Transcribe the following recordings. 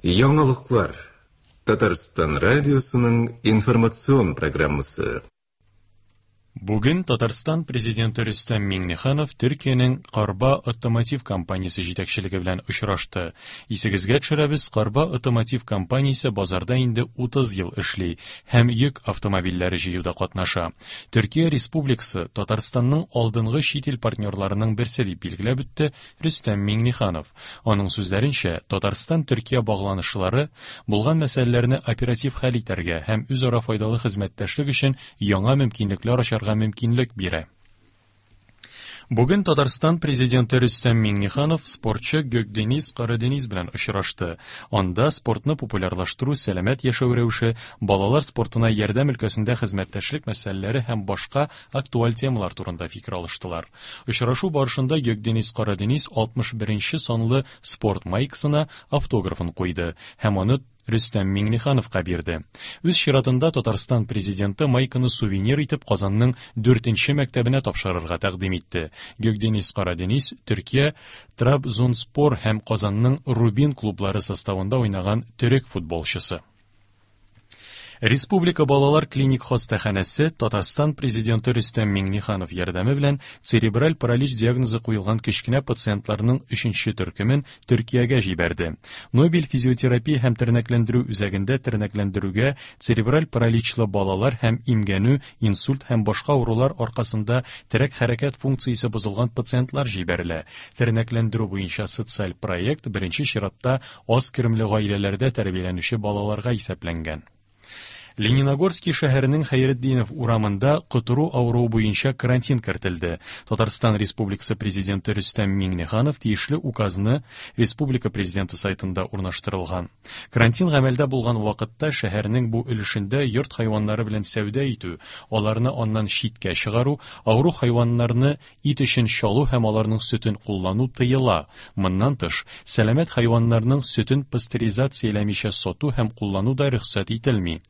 Яңалыклар. Татарстан радиосының информацион программасы. Бүген Татарстан Президенты Рөстәм Миңнеханов Төркиянең Карба Отомотив компаниясе җитәкчелеге белән очрашты. Исегезгә төшерәбез, Карба Отомотив компаниясе базарда инде 30 ел эшли һәм йөк автомобильләре җыюда катнаша. Төркия Республикасы Татарстанның алдынгы чит ил партнерларының берсе дип билгеләп үтте Рөстәм Миңнеханов. Аның сүзләренчә, Татарстан-Төркия багланышлары булган мәсьәләләрне оператив хәл итәргә һәм үзара файдалы хезмәттәшлек өчен яңа мөмкинлекләр ачарга мөмкинлек бирә. Бүген Татарстан Президенты Рөстәм Миңнеханов спортчы Гөкдениз Карадениз белән очрашты. Анда спортны популярлаштыру, сәламәт яшәү рәвеше, балалар спортына ярдәм өлкәсендә хезмәттәшлек мәсьәләләре һәм башка актуаль темалар турында фикер алыштылар. Очрашу барышында Гөкдениз Карадениз 61 нче санлы спорт майкасына автографын куйды һәм аны Рөстәм Миңнехановка бирде. Үз чиратында Татарстан Президенты майканы сувенир итеп Казанның дүртенче мәктәбенә тапшырырга тәкъдим итте. Гөкдениз Карадениз Төркия Трабзонспор һәм Казанның Рубин клублары составында уйнаган төрек футболчысы. Республика балалар клиник хастаханәсе Татарстан Президенты Рөстәм Миңнеханов ярдәме белән церебраль паралич диагнозы куелган кечкенә пациентларның өченче төркемен Төркиягә җибәрде. Нобель физиотерапия һәм тернәкләндерү үзәгендә тернәкләндерүгә церебраль параличлы балалар һәм имгәнү, инсульт һәм башка авырулар аркасында терәк-хәрәкәт функциясе бозылган пациентлар җибәрелә. Тернәкләндерү буенча социаль проект беренче чиратта аз керемле гаиләләрдә тәрбияләнүче балаларга исәпләнгән. Лениногорский шәһәренең Хәйретдинов урамында котыру авыруы буенча карантин кертелде. Татарстан Республикасы Президенты Рөстәм Миңнеханов тиешле указны республика Президенты сайтында урнаштырылган. Карантин гамәлдә булган вакытта шәһәрнең бу өлешендә йорт хайваннары белән сәүдә итү, аларны аннан читкә чыгару, авыру хайваннарны Ит өчен чалу һәм аларның сөтен куллану тыела. Моннан тыш, сәламәт хайваннарның сөтен пастеризацияләмичә сату һәм куллану да рөхсәт ителми.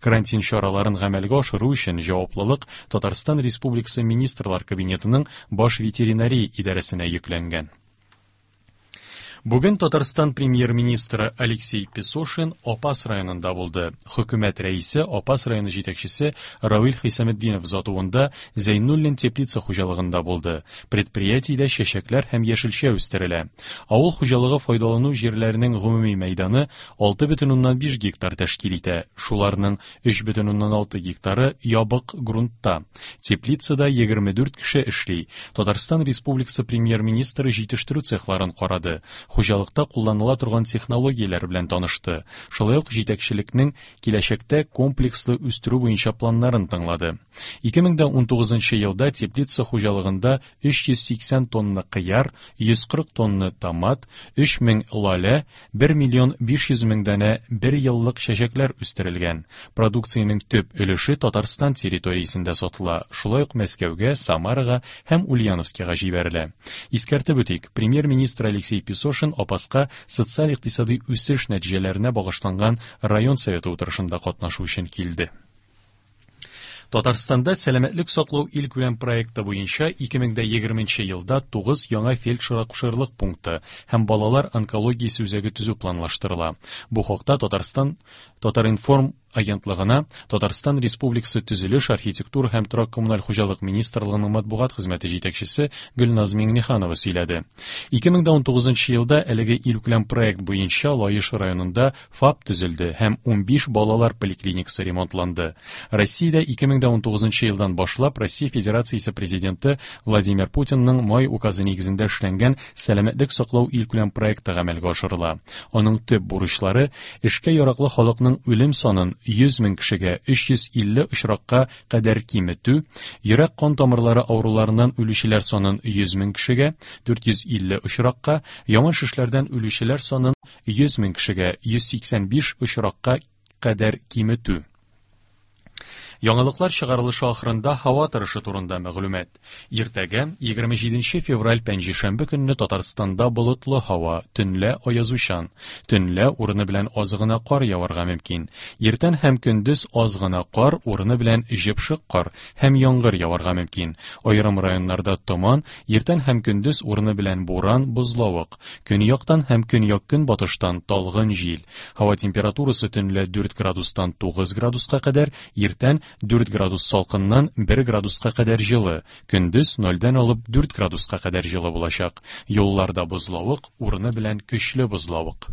Карантин чараларын гамәлгә ашыру өчен җаваплылык Татарстан Республикасы Министрлар Кабинетының Баш ветеринария идарәсенә йөкләнгән. Бүген Татарстан премьер-министры Алексей Песошин Апас районында булды. Хөкүмәт рәисе Апас районы җитәкчесе Равил Хисаметдинов озатуында Зәйнуллин теплица хуҗалыгында булды. Предприятиедә чәчәкләр һәм яшелчә үстерелә. Авыл хуҗалыгы файдалану җирләренең гомуми мәйданы 6,5 гектар тәшкил итә. Шуларның 3,6 гектары ябык грунтта. Теплицада 24 кеше эшли. Татарстан Республикасы Премьер-министры җитештерү цехларын карады, хуҗалыкта кулланыла торган технологияләр белән танышты, шулай ук җитәкчелекнең киләчәктә комплекслы үстерү буенча планнарын тыңлады. 2019 елда теплица хуҗалыгында 380 тонна кыяр, 140 тонна томат, 3000 лалә, 1 миллион 500 мең данә бер еллык чәчәкләр үстерелгән. Продукциянең төп өлеше Татарстан территориясендә сатыла, шулай ук Мәскәүгә, Самарага һәм Ульяновскига җибәрелә. Искәртеп үтик, премьер-министр Алексей Песошин Апаска социаль-икътисадый үсеш нәтиҗәләренә багышланган район советы утырышында катнашу өчен килде. Татарстанда сәламәтлек саклау илкүләм проекты буенча 2020 елда 9 яңа фельдшер-акушерлык пункты һәм балалар онкологиясе үзәге төзү планлаштырыла. Бу хакта Татарстан Татаринформ агентлыгына Татарстан Республикасы Төзелеш, архитектура һәм торак-коммуналь хуҗалык министрлыгының матбугат хезмәте җитәкчесе Гөлназ Миңнеханова сөйләде. 2019 елда әлеге илкүләм проект буенча Лаеш районында ФАП төзелде һәм 15 балалар поликлиникасы ремонтланды. Россиядә 2019 елдан башлап Россия Федерациясе Президенты Владимир Путинның май указы нигезендә эшләнгән Сәламәтлек саклау илкүләм проекты гамәлгә ашырыла. Аның төп бурычлары эшкә яраклы халыкның үлем санын 100 мең кешегә 350 очракка кадәр киметү, йөрәк-кан тамырлары авыруларыннан үлүчеләр санын 100 мең кешегә 450 очракка, яман шешләрдән үлүчеләр санын 100 мең кешегә 185 очракка кадәр киметү. Яңалыклар чыгарылышы ахырында һава торышы турында мәгълүмат. Иртәгә, 27 февраль пәнҗешәмбе көнне Татарстанда болытлы һава, төнлә аязучан. Төнлә урыны белән аз гына кар яварга мөмкин. Иртән һәм көндез аз гына кар, урыны белән җепшек кар һәм яңгыр яварга мөмкин. Аерым районнарда томан, иртән һәм көндез урыны белән буран, бозлавык. Көньяктан һәм көньяк-көнбатыштан талгын җил. Һава температурасы төнлә 4 градустан 9 градуска кадәр, иртән 4 градус салкыннан 1 градуска кадәр җылы, көндез 0-дән алып 4 градуска кадәр җылы булачак. Юлларда бозлавык, урыны белән көчле бозлавык.